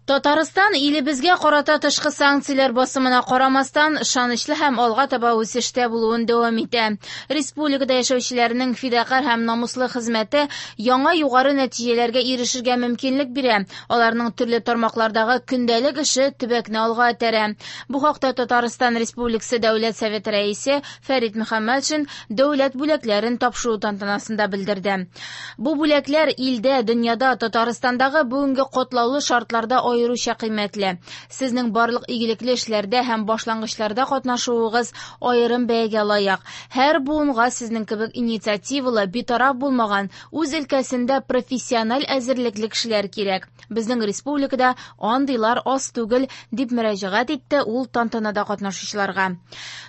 Татарстан илебезгә карата тышкы санкцияләр басымына карамастан, ышанычлы һәм алга таба үсештә булуын дәвам итә. Республикада яшәүчеләрнең фидакарь һәм намуслы хезмәте яңа югары нәтиҗәләргә ирешергә мөмкинлек бирә. Аларның төрле тармаклардагы көндәлек эше төбәкне алга этәрә. Бу хакта Татарстан Республикасы Дәүләт Советы Рәисе Фәрит Мөхәммәтшин дәүләт бүләкләрен тапшыру тантанасында белдерде. Бу бүләкләр илдә, дөньяда, Татарстандагы бүгенге катлаулы шартларда аеруча кыйммәтле. Сезнең барлык игелекле эшләрдә һәм башлангычларда катнашуыгыз аерым бәягә лаек. Һәр буынга сезнең кебек инициативалы, битараф булмаган, үз өлкәсендә профессиональ әзерлекле кешеләр кирәк. Безнең республикада андыйлар аз түгел, дип мөрәҗәгать итте ул тантанада катнашучыларга.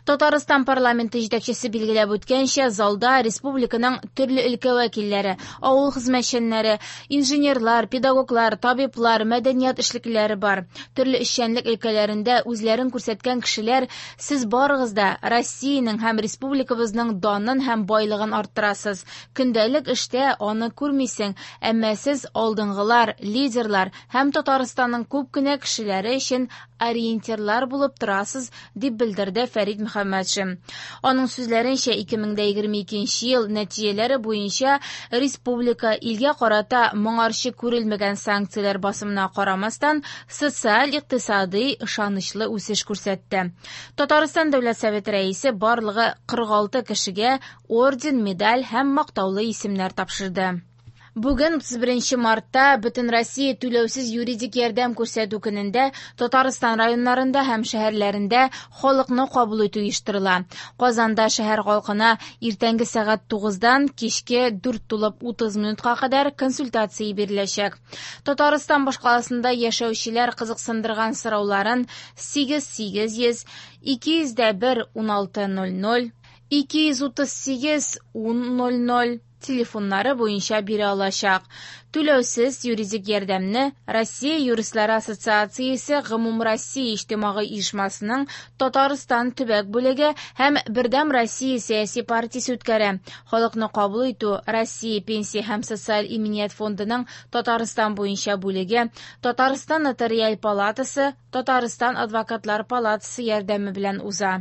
Татарстан парламенты җитәкчесе билгеләп үткәнчә, залда республиканың төрле өлкә вәкилләре, авыл хезмәтчәннәре, инженерлар, педагоглар, табиблар, мәдәният эшлеклеләре бар. Төрле эшчәнлек өлкәләрендә үзләрен күрсәткән кешеләр, сез барыгыз да Россиянең һәм республикабызның данын һәм байлыгын арттырасыз. Көндәлек эштә аны күрмисең, әмма сез алдынгылар, лидерлар һәм Татарстанның күп кенә кешеләре өчен ориентирлар булып торасыз, дип белдерде Фәрит Мөхәммәтшин. Аның сүзләренчә, 2022 ел нәтиҗәләре буенча республика илгә карата моңарчы күрелмәгән санкцияләр басымына карамастан, социаль-икътисадый ышанычлы үсеш күрсәтте. Татарстан Дәүләт Советы рәисе барлыгы 46 кешегә орден, медаль һәм мактаулы исемнәр тапшырды. Бүген 31 мартта Бөтенроссия түләүсез юридик ярдәм күрсәтү көнендә Татарстан районнарында һәм шәһәрләрендә халыкны кабул итү оештырыла. Казанда шәһәр халкына иртәнге сәгать 9-дан кичке 4:30 минутка кадәр консультация биреләчәк. Татарстан башкаласында яшәүчеләр кызыксындырган сорауларын 8 800 201 16 00 238 10 00 телефоннары буенча бирә алачак. Түләүсез юридик ярдәмне Россия юристлары ассоциациясе Гомумроссия иҗтимагый оешмасының Татарстан төбәк бүлеге һәм Бердәм Россия сәяси партиясе үткәрә. Халыкны кабул итү Россия пенсия һәм социаль иминият фондының Татарстан буенча бүлеге, Татарстан нотариаль палатасы, Татарстан адвокатлар палатасы ярдәме белән уза.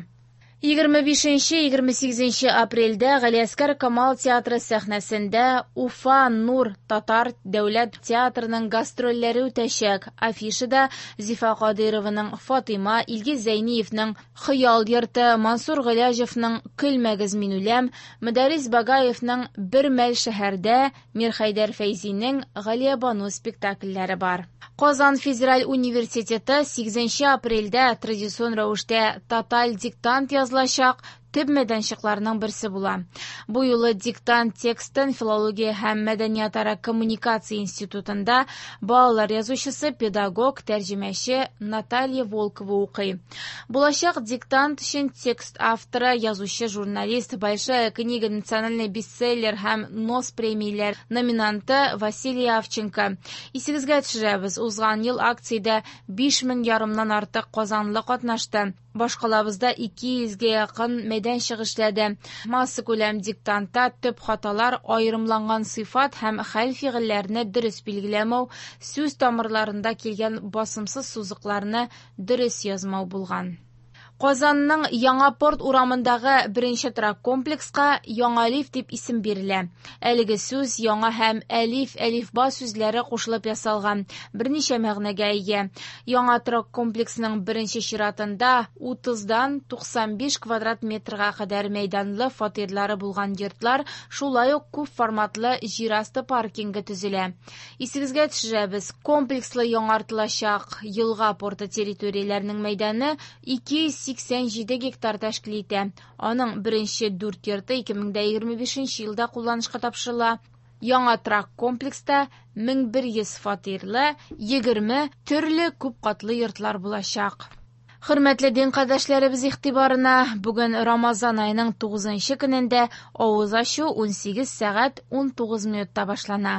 25-28 апрельдә Галиәсгар Камал театры сәхнәсендә Уфа Нур татар дәүләт театрының гастрольләре үтәчәк. Афишада Зифа Кадыйрованың Фатыйма, Илгиз Зәйниевның Хыял йорты, Мансур Гыйләҗевның Көлмәгез мин үләм, Мөдәррис Багаевның Бер мәл шәһәрдә, Мирхәйдәр Фәйзинең Галиябану спектакльләре бар. Казан федераль университеты 8 апрельдә традицион рәвештә тоталь диктант язылачак төп мәйданчыкларның берсе була. Бу юлы диктант текстын Филология һәм мәдәниятара коммуникация институтында балалар язучысы, педагог, тәрҗемәче Наталья Волкова укый. Булачак диктант өчен текст авторы, язучы, журналист, Большая книга национальный бестселлер һәм НОС премияләр номинанты Василий Авченко. Исегезгә төшерәбез, узган ел акциядә 5,5 меңнән артык казанлы катнашты. Башкалабызда 200гә якын мәйданчык эшләде. Массакүләм диктантта төп хаталар аерымланган сыйфат һәм хәл фигыльләрне дөрес билгеләмәү, сүз тамырларында килгән басымсыз сузыкларны дөрес язмау булган. Казанның Яңа порт урамындагы беренче торак комплекска Яңалиф дип исем бирелә. Әлеге сүз яңа һәм әлиф, әлифба сүзләре кушылып ясалган, берничә мәгънәгә ия. Яңа торак комплексының беренче чиратында 30-дан 95 квадрат метрга кадәр мәйданлы фатирлары булган йортлар, шулай ук күп форматлы җир асты паркингы төзелә. Исегезгә төшерәбез, комплекслы яңартылачак елга порты территорияләренең мәйданы 287 гектар тәшкил итә. Аның беренче 4 йорты 2025 елда кулланышка тапшырыла. Яңа торак комплекста 1100 фатирлы 20 төрле күп катлы йортлар булачак. Хөрмәтле дин кардәшләребез игътибарына, бүген Рамазан аеның 9 көнендә авыз ачу 18 сәгать 19 минутта башлана.